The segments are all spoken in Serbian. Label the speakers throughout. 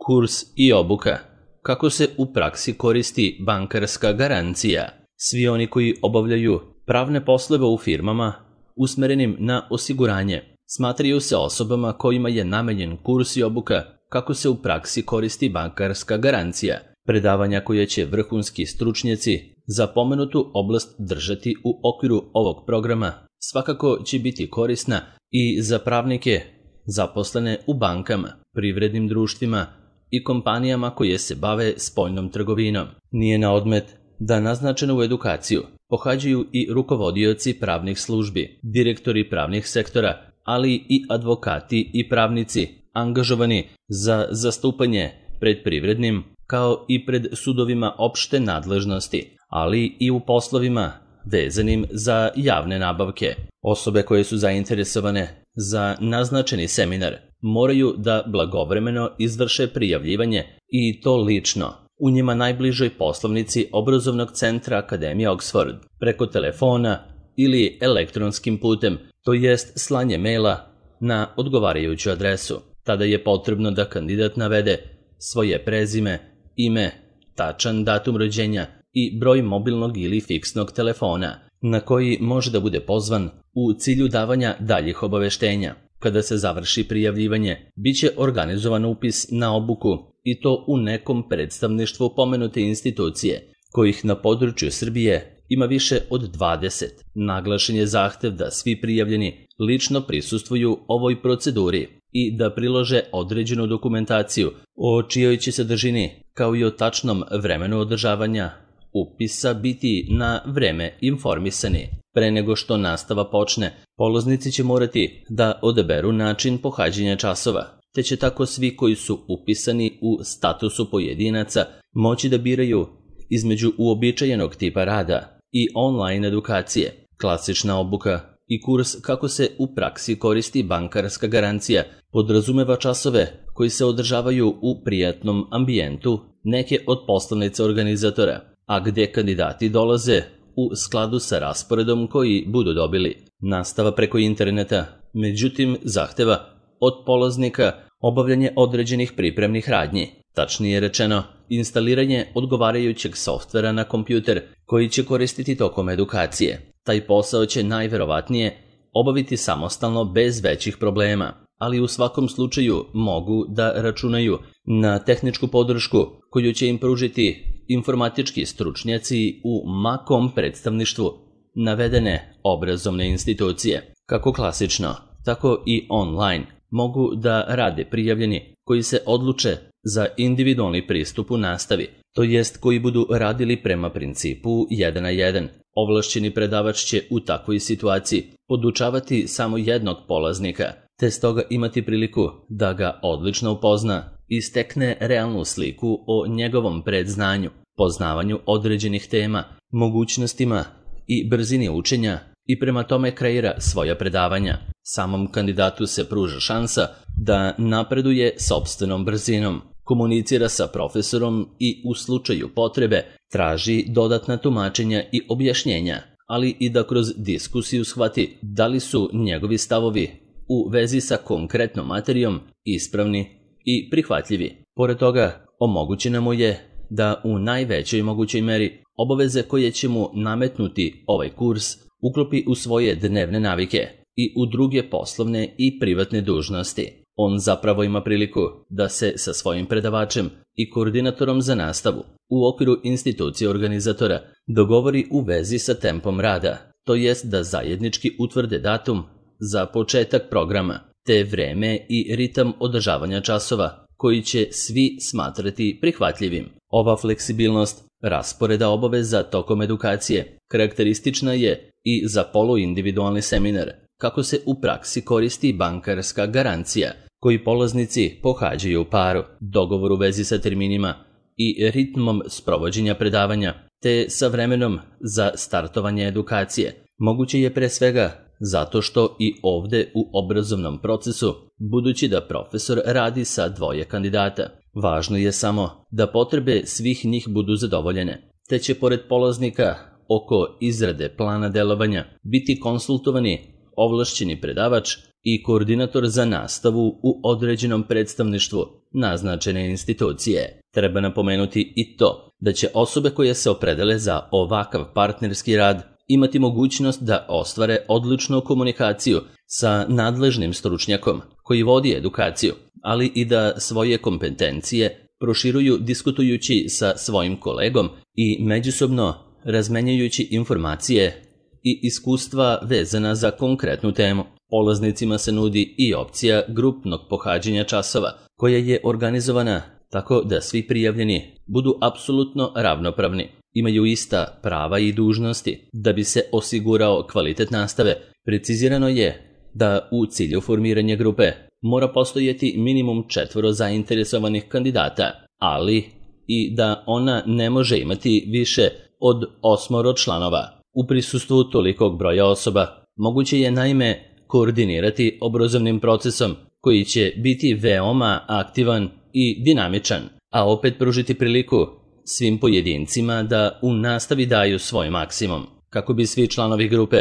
Speaker 1: Kurs i obuka. Kako se u praksi koristi bankarska garancija? Svi oni koji obavljaju pravne poslove u firmama usmerenim na osiguranje smatraju se osobama kojima je namenjen kurs i obuka kako se u praksi koristi bankarska garancija. Predavanja koje će vrhunski stručnjaci za pomenutu oblast držati u okviru ovog programa svakako će biti korisna i za pravnike zaposlene u bankama, privrednim društvima i kompanijama koje se bave spoljnom trgovinom. Nije na odmet da naznačenu edukaciju pohađaju i rukovodioci pravnih službi, direktori pravnih sektora, ali i advokati i pravnici angažovani za zastupanje pred privrednim kao i pred sudovima opšte nadležnosti, ali i u poslovima vezanim za javne nabavke. Osobe koje su zainteresovane za naznačeni seminar moraju da blagovremeno izvrše prijavljivanje i to lično u njima najbližoj poslovnici obrazovnog centra Akademije Oxford, preko telefona ili elektronskim putem, to jest slanje maila na odgovarajuću adresu. Tada je potrebno da kandidat navede svoje prezime, ime, tačan datum rođenja i broj mobilnog ili fiksnog telefona na koji može da bude pozvan u cilju davanja daljih obaveštenja. Kada se završi prijavljivanje, biće organizovan upis na obuku i to u nekom predstavništvu pomenute institucije, kojih na području Srbije ima više od 20. Naglašen je zahtev da svi prijavljeni lično prisustvuju ovoj proceduri i da prilože određenu dokumentaciju o čijoj će sadržini, kao i o tačnom vremenu održavanja upisa biti na vreme informisani. Pre nego što nastava počne, polaznici će morati da odaberu način pohađanja časova, te će tako svi koji su upisani u statusu pojedinaca moći da biraju između uobičajenog tipa rada i online edukacije, klasična obuka i kurs kako se u praksi koristi bankarska garancija podrazumeva časove koji se održavaju u prijatnom ambijentu neke od poslovnica organizatora, a gde kandidati dolaze u skladu sa rasporedom koji budu dobili. Nastava preko interneta, međutim, zahteva od polaznika obavljanje određenih pripremnih radnji, tačnije rečeno, instaliranje odgovarajućeg softvera na kompjuter koji će koristiti tokom edukacije. Taj posao će najverovatnije obaviti samostalno bez većih problema, ali u svakom slučaju mogu da računaju na tehničku podršku koju će im pružiti informatički stručnjaci u makom predstavništvu navedene obrazovne institucije. Kako klasično, tako i online mogu da rade prijavljeni koji se odluče za individualni pristup u nastavi, to jest koji budu radili prema principu 1 na 1. Ovlašćeni predavač će u takvoj situaciji podučavati samo jednog polaznika, te stoga imati priliku da ga odlično upozna i stekne realnu sliku o njegovom predznanju, poznavanju određenih tema, mogućnostima i brzini učenja i prema tome kreira svoja predavanja. Samom kandidatu se pruža šansa da napreduje sopstvenom brzinom, komunicira sa profesorom i u slučaju potrebe traži dodatna tumačenja i objašnjenja, ali i da kroz diskusiju shvati da li su njegovi stavovi u vezi sa konkretnom materijom ispravni i prihvatljivi. Pored toga, omogućeno mu je da u najvećoj mogućoj meri obaveze koje će mu nametnuti ovaj kurs uklopi u svoje dnevne navike i u druge poslovne i privatne dužnosti. On zapravo ima priliku da se sa svojim predavačem i koordinatorom za nastavu u okviru institucije organizatora dogovori u vezi sa tempom rada, to jest da zajednički utvrde datum za početak programa, te vreme i ritam održavanja časova koji će svi smatrati prihvatljivim. Ova fleksibilnost rasporeda obaveza tokom edukacije karakteristična je i za poluindividualni seminar kako se u praksi koristi bankarska garancija, koji polaznici pohađaju u paru, dogovor u vezi sa terminima i ritmom sprovođenja predavanja, te sa vremenom za startovanje edukacije. Moguće je pre svega zato što i ovde u obrazovnom procesu, budući da profesor radi sa dvoje kandidata, važno je samo da potrebe svih njih budu zadovoljene, te će pored polaznika oko izrade plana delovanja biti konsultovani ovlašćeni predavač i koordinator za nastavu u određenom predstavništvu naznačene institucije. Treba napomenuti i to da će osobe koje se opredele za ovakav partnerski rad imati mogućnost da ostvare odličnu komunikaciju sa nadležnim stručnjakom koji vodi edukaciju, ali i da svoje kompetencije proširuju diskutujući sa svojim kolegom i međusobno razmenjujući informacije i iskustva vezana za konkretnu temu. Polaznicima se nudi i opcija grupnog pohađanja časova, koja je organizovana tako da svi prijavljeni budu apsolutno ravnopravni, imaju ista prava i dužnosti. Da bi se osigurao kvalitet nastave, precizirano je da u cilju formiranja grupe mora postojati minimum 4 zainteresovanih kandidata, ali i da ona ne može imati više od 8 članova. U prisustvu tolikog broja osoba moguće je naime koordinirati obrazovnim procesom koji će biti veoma aktivan i dinamičan, a opet pružiti priliku svim pojedincima da u nastavi daju svoj maksimum. Kako bi svi članovi grupe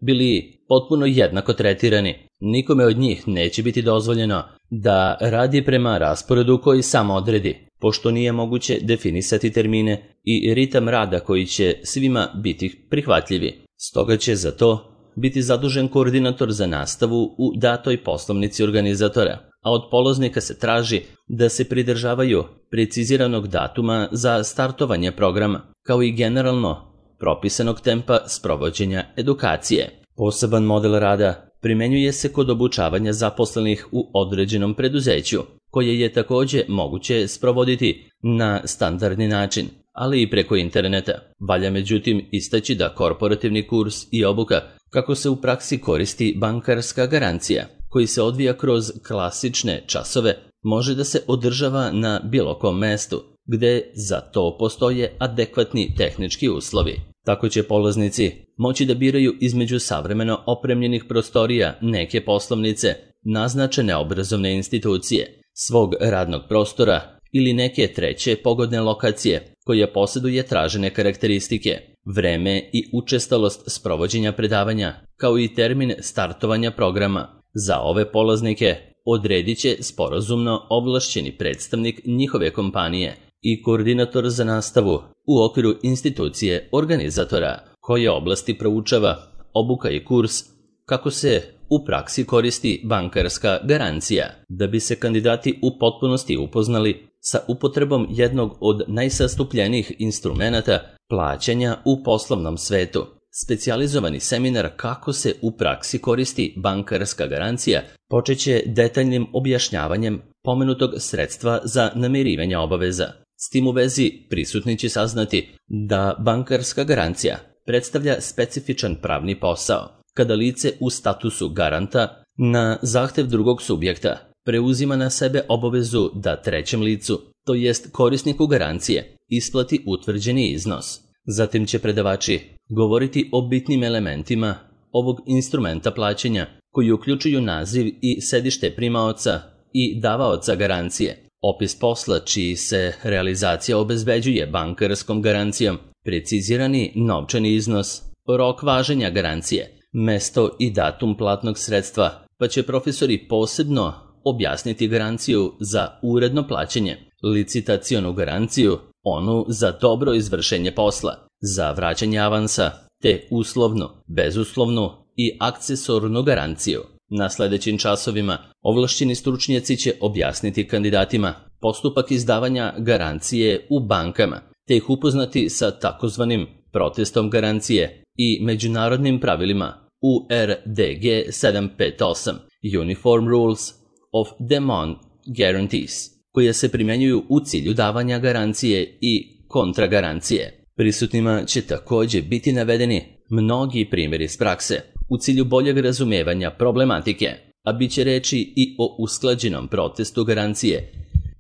Speaker 1: bili potpuno jednako tretirani, nikome od njih neće biti dozvoljeno da radi prema rasporedu koji sam odredi, pošto nije moguće definisati termine i ritam rada koji će svima biti prihvatljivi. Stoga će za to biti zadužen koordinator za nastavu u datoj poslovnici organizatora, a od polaznika se traži da se pridržavaju preciziranog datuma za startovanje programa, kao i generalno propisanog tempa sprovođenja edukacije. Poseban model rada primenjuje se kod obučavanja zaposlenih u određenom preduzeću, koje je također moguće sprovoditi na standardni način, ali i preko interneta. Valja međutim istaći da korporativni kurs i obuka kako se u praksi koristi bankarska garancija, koji se odvija kroz klasične časove, može da se održava na bilo kom mestu, gde za to postoje adekvatni tehnički uslovi. Tako će polaznici moći da biraju između savremeno opremljenih prostorija neke poslovnice, naznačene obrazovne institucije, svog radnog prostora ili neke treće pogodne lokacije koja posjeduje tražene karakteristike, vreme i učestalost sprovođenja predavanja, kao i termin startovanja programa. Za ove polaznike odredit će sporazumno ovlašćeni predstavnik njihove kompanije i koordinator za nastavu u okviru institucije organizatora, koje oblasti proučava obuka i kurs kako se u praksi koristi bankarska garancija, da bi se kandidati u potpunosti upoznali sa upotrebom jednog od najsastupljenijih instrumenata plaćanja u poslovnom svetu. Specijalizovani seminar kako se u praksi koristi bankarska garancija počeće detaljnim objašnjavanjem pomenutog sredstva za namirivanje obaveza. S tim u vezi prisutni će saznati da bankarska garancija predstavlja specifičan pravni posao, kada lice u statusu garanta na zahtev drugog subjekta preuzima na sebe obavezu da trećem licu, to jest korisniku garancije, isplati utvrđeni iznos. Zatim će predavači govoriti o bitnim elementima ovog instrumenta plaćanja, koji uključuju naziv i sedište primaoca i davaoca garancije, opis posla čiji se realizacija obezbeđuje bankarskom garancijom, precizirani novčani iznos, rok važenja garancije, mesto i datum platnog sredstva, pa će profesori posebno objasniti garanciju za uredno plaćanje, licitacionu garanciju, onu za dobro izvršenje posla, za vraćanje avansa, te uslovnu, bezuslovnu i akcesornu garanciju. Na sljedećim časovima ovlašćeni stručnjaci će objasniti kandidatima postupak izdavanja garancije u bankama, te ih upoznati sa takozvanim protestom garancije i međunarodnim pravilima URDG 758 Uniform Rules of Demand Guarantees, koje se primjenjuju u cilju davanja garancije i kontragarancije. Prisutnima će također biti navedeni mnogi primjeri iz prakse u cilju boljeg razumijevanja problematike, a bit će reći i o usklađenom protestu garancije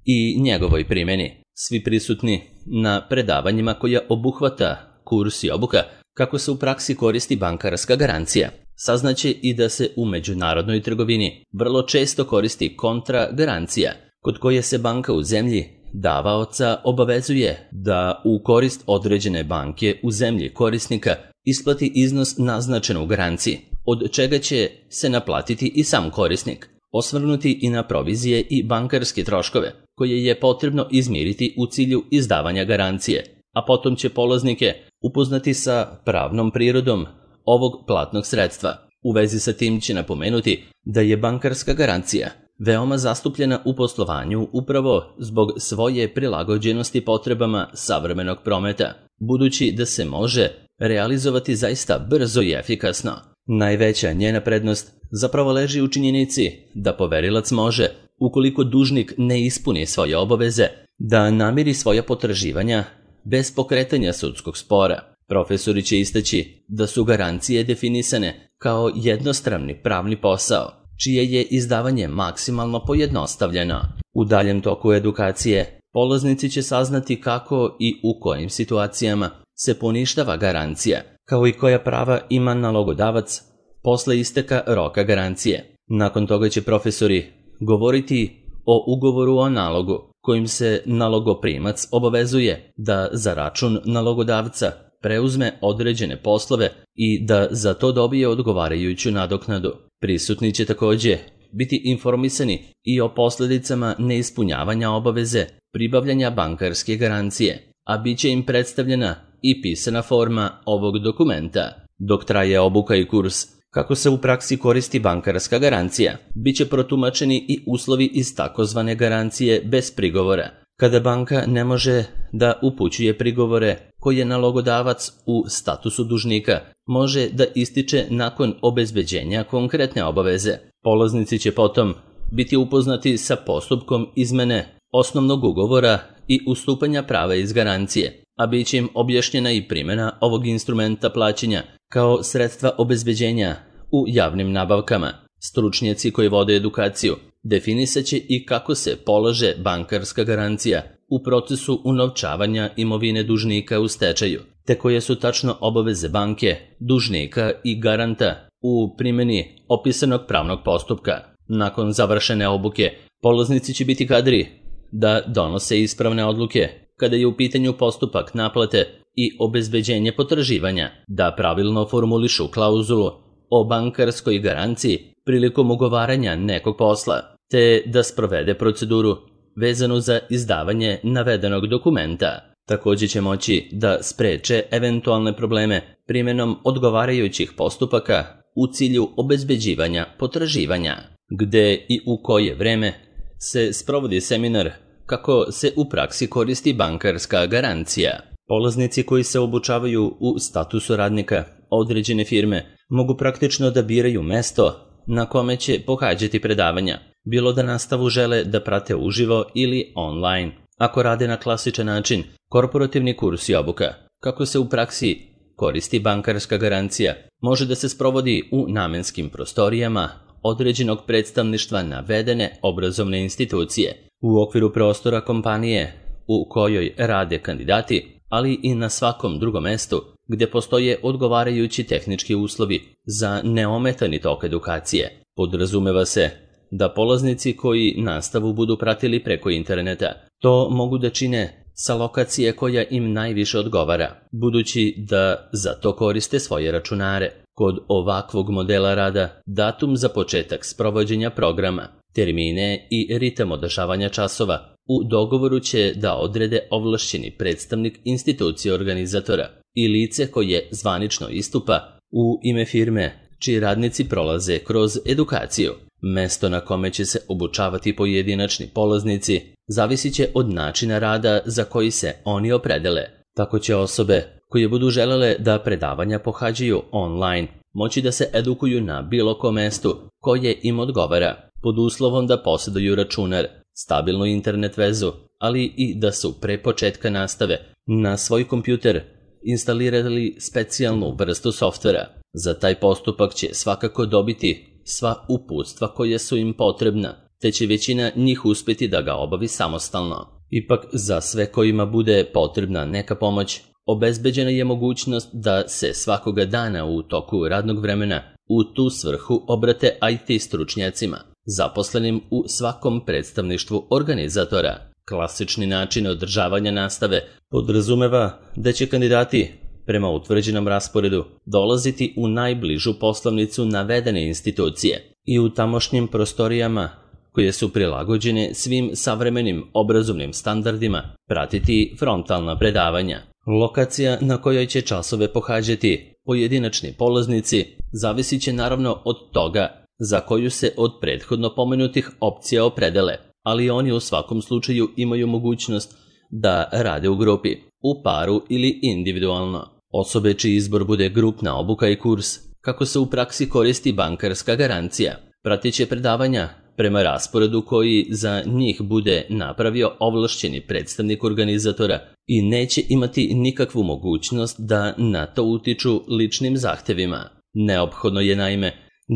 Speaker 1: i njegovoj primjeni. Svi prisutni na predavanjima koja obuhvata kurs i obuka kako se u praksi koristi bankarska garancija saznaće i da se u međunarodnoj trgovini vrlo često koristi kontragarancija, kod koje se banka u zemlji davaoca obavezuje da u korist određene banke u zemlji korisnika isplati iznos naznačen u garanciji, od čega će se naplatiti i sam korisnik, osvrnuti i na provizije i bankarske troškove, koje je potrebno izmiriti u cilju izdavanja garancije, a potom će polaznike upoznati sa pravnom prirodom ovog platnog sredstva. U vezi sa tim će napomenuti da je bankarska garancija veoma zastupljena u poslovanju upravo zbog svoje prilagođenosti potrebama savremenog prometa, budući da se može realizovati zaista brzo i efikasno. Najveća njena prednost zapravo leži u činjenici da poverilac može, ukoliko dužnik ne ispuni svoje obaveze, da namiri svoja potraživanja bez pokretanja sudskog spora. Profesori će istaći da su garancije definisane kao jednostrani pravni posao, čije je izdavanje maksimalno pojednostavljeno. U daljem toku edukacije, polaznici će saznati kako i u kojim situacijama se poništava garancija, kao i koja prava ima nalogodavac posle isteka roka garancije. Nakon toga će profesori govoriti o ugovoru o nalogu, kojim se nalogoprimac obavezuje da za račun nalogodavca preuzme određene poslove i da za to dobije odgovarajuću nadoknadu. Prisutni će takođe biti informisani i o posledicama neispunjavanja obaveze pribavljanja bankarske garancije, a bit će im predstavljena i pisana forma ovog dokumenta. Dok traje obuka i kurs kako se u praksi koristi bankarska garancija, bit će protumačeni i uslovi iz takozvane garancije bez prigovora, kada banka ne može da upućuje prigovore koje nalogodavac u statusu dužnika može da ističe nakon obezbeđenja konkretne obaveze. Polaznici će potom biti upoznati sa postupkom izmene osnovnog ugovora i ustupanja prava iz garancije, a bit će im objašnjena i primjena ovog instrumenta plaćanja kao sredstva obezbeđenja u javnim nabavkama. Stručnjaci koji vode edukaciju definisat će i kako se polaže bankarska garancija u procesu unovčavanja imovine dužnika u stečaju, te koje su tačno obaveze banke, dužnika i garanta u primjeni opisanog pravnog postupka. Nakon završene obuke, polaznici će biti kadri da donose ispravne odluke kada je u pitanju postupak naplate i obezbeđenje potraživanja, da pravilno formulišu klauzulu o bankarskoj garanciji prilikom ugovaranja nekog posla, te da sprovede proceduru vezanu za izdavanje navedenog dokumenta. Takođe će moći da spreče eventualne probleme primjenom odgovarajućih postupaka u cilju obezbeđivanja potraživanja. Gde i u koje vreme se sprovodi seminar kako se u praksi koristi bankarska garancija. Polaznici koji se obučavaju u statusu radnika određene firme mogu praktično da biraju mesto na kome će pohađati predavanja, bilo da nastavu žele da prate uživo ili online. Ako rade na klasičan način, korporativni kurs i obuka, kako se u praksi koristi bankarska garancija, može da se sprovodi u namenskim prostorijama određenog predstavništva navedene obrazovne institucije, u okviru prostora kompanije u kojoj rade kandidati, ali i na svakom drugom mestu gde postoje odgovarajući tehnički uslovi za neometani tok edukacije. Podrazumeva se da polaznici koji nastavu budu pratili preko interneta to mogu da čine sa lokacije koja im najviše odgovara, budući da za to koriste svoje računare. Kod ovakvog modela rada datum za početak sprovođenja programa, termine i ritam održavanja časova u dogovoru će da odrede ovlašćeni predstavnik institucije organizatora i lice koje zvanično istupa u ime firme čiji radnici prolaze kroz edukaciju. Mesto na kome će se obučavati pojedinačni polaznici zavisit će od načina rada za koji se oni opredele. Tako će osobe koje budu želele da predavanja pohađaju online moći da se edukuju na bilo kom mestu koje im odgovara, pod uslovom da posjeduju računar, stabilnu internet vezu, ali i da su pre početka nastave na svoj kompjuter instalirali specijalnu vrstu softvera. Za taj postupak će svakako dobiti sva uputstva koja su im potrebna, te će većina njih uspjeti da ga obavi samostalno. Ipak, za sve kojima bude potrebna neka pomoć, obezbeđena je mogućnost da se svakoga dana u toku radnog vremena u tu svrhu obrate IT stručnjacima, zaposlenim u svakom predstavništvu organizatora. Klasični način održavanja nastave podrazumeva da će kandidati prema utvrđenom rasporedu dolaziti u najbližu poslovnicu navedene institucije i u tamošnjim prostorijama koje su prilagođene svim savremenim obrazovnim standardima pratiti frontalna predavanja. Lokacija na kojoj će časove pohađati pojedinačni polaznici zavisit će naravno od toga za koju se od prethodno pomenutih opcija opredele, ali oni u svakom slučaju imaju mogućnost da rade u grupi, u paru ili individualno. Osobe čiji izbor bude grupna obuka i kurs, kako se u praksi koristi bankarska garancija, pratit će predavanja prema rasporedu koji za njih bude napravio ovlašćeni predstavnik organizatora i neće imati nikakvu mogućnost da na to utiču ličnim zahtevima. Neophodno je naime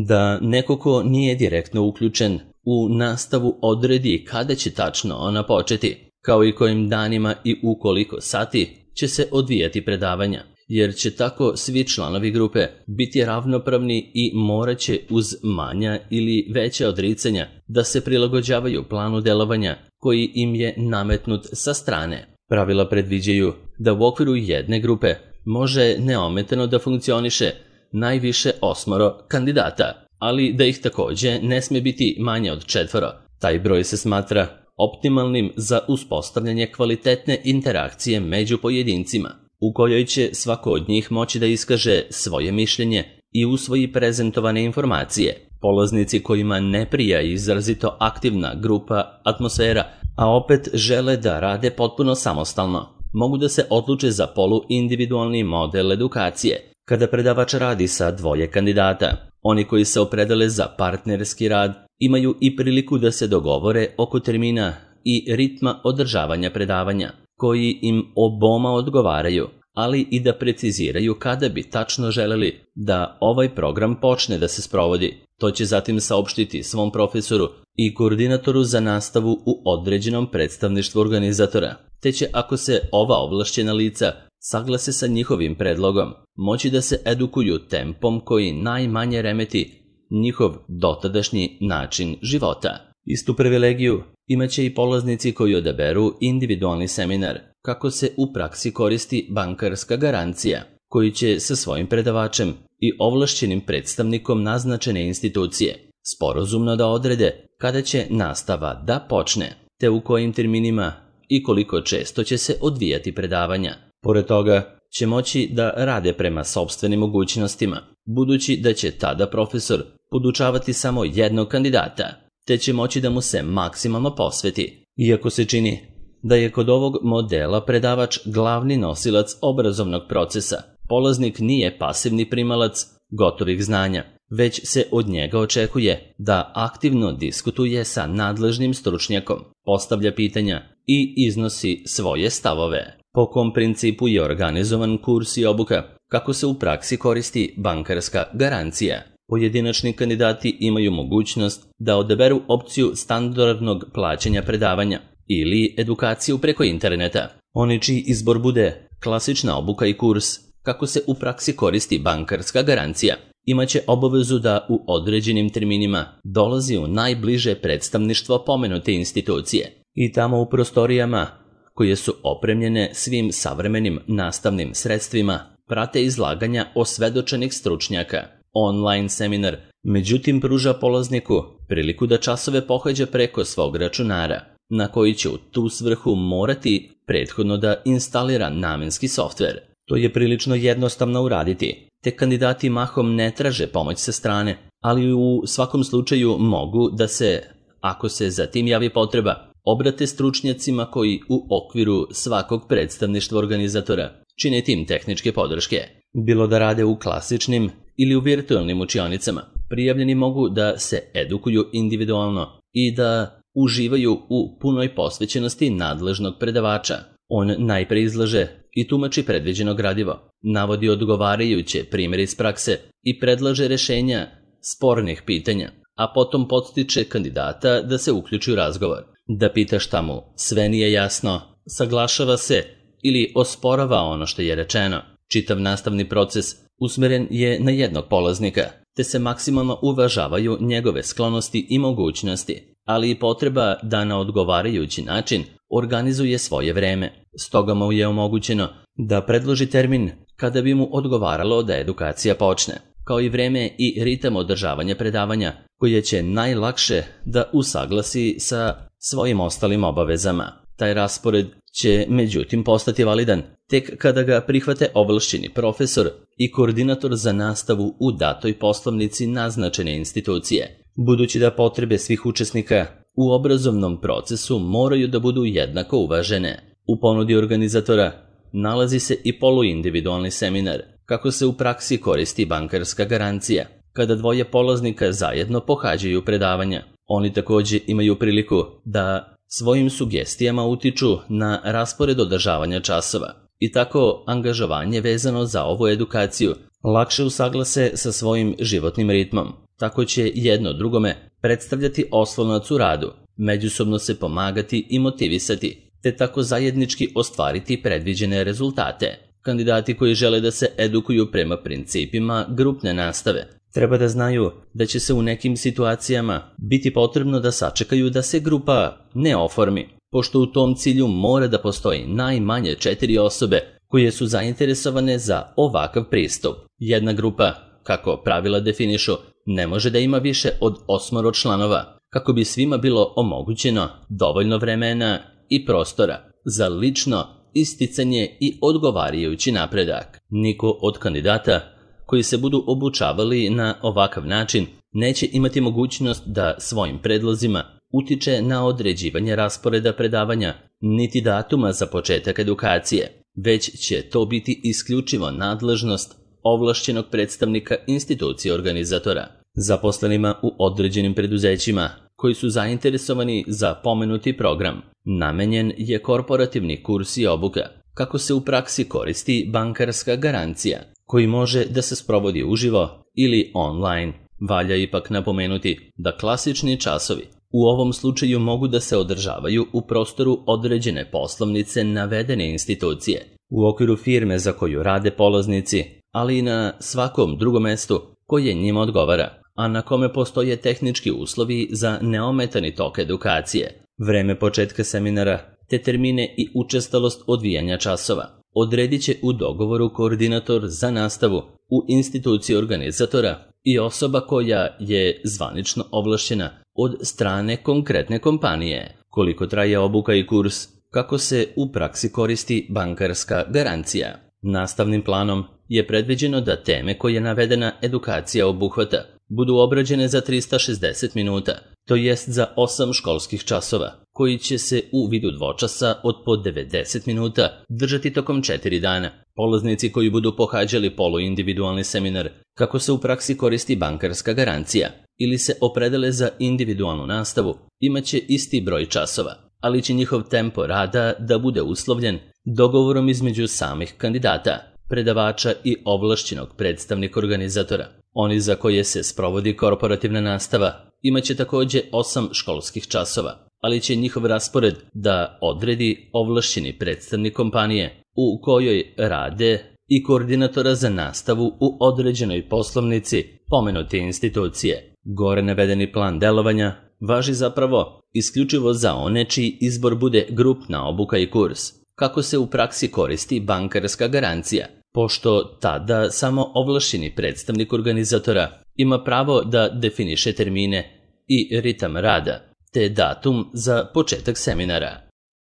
Speaker 1: da neko ko nije direktno uključen u nastavu odredi kada će tačno ona početi, kao i kojim danima i u koliko sati će se odvijati predavanja, jer će tako svi članovi grupe biti ravnopravni i morat će uz manja ili veća odricanja da se prilagođavaju planu delovanja koji im je nametnut sa strane. Pravila predviđaju da u okviru jedne grupe može neometano da funkcioniše najviše 8 kandidata, ali da ih takođe ne sme biti manje od 4. Taj broj se smatra optimalnim za uspostavljanje kvalitetne interakcije među pojedincima, u kojoj će svako od njih moći da iskaže svoje mišljenje i usvoji prezentovane informacije. Polaznici kojima ne prija izrazito aktivna grupa atmosfera, a opet žele da rade potpuno samostalno, mogu da se odluče za poluindividualni model edukacije, kada predavač radi sa 2 kandidata. Oni koji se opredele za partnerski rad imaju i priliku da se dogovore oko termina i ritma održavanja predavanja, koji im oboma odgovaraju, ali i da preciziraju kada bi tačno želeli da ovaj program počne da se sprovodi. To će zatim saopštiti svom profesoru i koordinatoru za nastavu u određenom predstavništvu organizatora, te će, ako se ova ovlašćena lica saglase sa njihovim predlogom, moći da se edukuju tempom koji najmanje remeti njihov dotadašnji način života. Istu privilegiju imaće i polaznici koji odaberu individualni seminar, kako se u praksi koristi bankarska garancija, koji će sa svojim predavačem i ovlašćenim predstavnikom naznačene institucije sporazumno da odrede kada će nastava da počne, te u kojim terminima i koliko često će se odvijati predavanja. Pored toga će moći da rade prema sopstvenim mogućnostima, budući da će tada profesor podučavati samo jednog kandidata, te će moći da mu se maksimalno posveti. Iako se čini da je kod ovog modela predavač glavni nosilac obrazovnog procesa, polaznik nije pasivni primalac gotovih znanja, već se od njega očekuje da aktivno diskutuje sa nadležnim stručnjakom, postavlja pitanja i iznosi svoje stavove. Po kom principu je organizovan kurs i obuka, kako se u praksi koristi bankarska garancija? Pojedinačni kandidati imaju mogućnost da odaberu opciju standardnog plaćanja predavanja ili edukaciju preko interneta. Oni čiji izbor bude klasična obuka i kurs, kako se u praksi koristi bankarska garancija, imaće obavezu da u određenim terminima dolazi u najbliže predstavništvo pomenute institucije i tamo u prostorijama koje su opremljene svim savremenim nastavnim sredstvima prate izlaganja osvedočenih stručnjaka. Online seminar međutim pruža polazniku priliku da časove pohađa preko svog računara, na koji će u tu svrhu morati prethodno da instalira namenski softver. To je prilično jednostavno uraditi, te kandidati mahom ne traže pomoć sa strane, ali u svakom slučaju mogu da se, ako se za tim javi potreba, obrate stručnjacima koji u okviru svakog predstavništva organizatora čine tim tehničke podrške. Bilo da rade u klasičnim ili u virtualnim učionicama, prijavljeni mogu da se edukuju individualno i da uživaju u punoj posvećenosti nadležnog predavača. On najpre izlaže i tumači predviđeno gradivo, navodi odgovarajuće primjere iz prakse i predlaže rešenja spornih pitanja, a potom podstiče kandidata da se uključi u razgovor, da pita šta mu sve nije jasno, saglašava se ili osporava ono što je rečeno. Čitav nastavni proces usmeren je na jednog polaznika, te se maksimalno uvažavaju njegove sklonosti i mogućnosti, ali i potreba da na odgovarajući način organizuje svoje vreme. Stoga mu je omogućeno da predloži termin kada bi mu odgovaralo da edukacija počne, kao i vreme i ritam održavanja predavanja koje će najlakše da usaglasi sa svojim ostalim obavezama. Taj raspored će međutim postati validan tek kada ga prihvate ovlašćeni profesor i koordinator za nastavu u datoj poslovnici naznačene institucije, budući da potrebe svih učesnika u obrazovnom procesu moraju da budu jednako uvažene. U ponudi organizatora nalazi se i poluindividualni seminar, kako se u praksi koristi bankarska garancija. Kada dvoje polaznika zajedno pohađaju predavanja, oni također imaju priliku da svojim sugestijama utiču na raspored održavanja časova i tako angažovanje vezano za ovu edukaciju lakše usaglase sa svojim životnim ritmom. Tako će jedno drugome predstavljati oslonac u radu, međusobno se pomagati i motivisati, te tako zajednički ostvariti predviđene rezultate. Kandidati koji žele da se edukuju prema principima grupne nastave treba da znaju da će se u nekim situacijama biti potrebno da sačekaju da se grupa ne oformi, pošto u tom cilju mora da postoji najmanje 4 osobe koje su zainteresovane za ovakav pristup. Jedna grupa, kako pravila definišu, ne može da ima više od 8 članova, kako bi svima bilo omogućeno dovoljno vremena i prostora za lično isticanje i odgovarajući napredak. Niko od kandidata koji se budu obučavali na ovakav način neće imati mogućnost da svojim predlozima utiče na određivanje rasporeda predavanja niti datuma za početak edukacije, već će to biti isključivo nadležnost ovlašćenog predstavnika institucije organizatora. Zaposlenima u određenim preduzećima koji su zainteresovani za pomenuti program namenjen je korporativni kurs i obuka, kako se u praksi koristi bankarska garancija, koji može da se sprovodi uživo ili online. Valja ipak napomenuti da klasični časovi u ovom slučaju mogu da se održavaju u prostoru određene poslovnice navedene institucije, u okviru firme za koju rade polaznici, ali i na svakom drugom mestu koje njima odgovara, a na kome postoje tehnički uslovi za neometani tok edukacije. Vreme početka seminara te termine i učestalost odvijanja časova odredit će u dogovoru koordinator za nastavu u instituciji organizatora i osoba koja je zvanično ovlašćena od strane konkretne kompanije. Koliko traje obuka i kurs, kako se u praksi koristi bankarska garancija. Nastavnim planom je predviđeno da teme koje navedena edukacija obuhvata budu obrađene za 360 minuta, to jest za 8 školskih časova, koji će se u vidu dvočasa od po 90 minuta držati tokom 4 dana. Polaznici koji budu pohađali poluindividualni seminar, kako se u praksi koristi bankarska garancija, ili se opredele za individualnu nastavu, imaće isti broj časova, ali će njihov tempo rada da bude uslovljen dogovorom između samih kandidata, predavača i ovlašćenog predstavnika organizatora. Oni za koje se sprovodi korporativna nastava imaće također 8 školskih časova, ali će njihov raspored da odredi ovlašćeni predstavnik kompanije u kojoj rade i koordinatora za nastavu u određenoj poslovnici pomenute institucije. Gore navedeni plan delovanja važi zapravo isključivo za one čiji izbor bude grupna obuka i kurs, kako se u praksi koristi bankarska garancija, pošto tada samo ovlašćeni predstavnik organizatora ima pravo da definiše termine i ritam rada, te datum za početak seminara.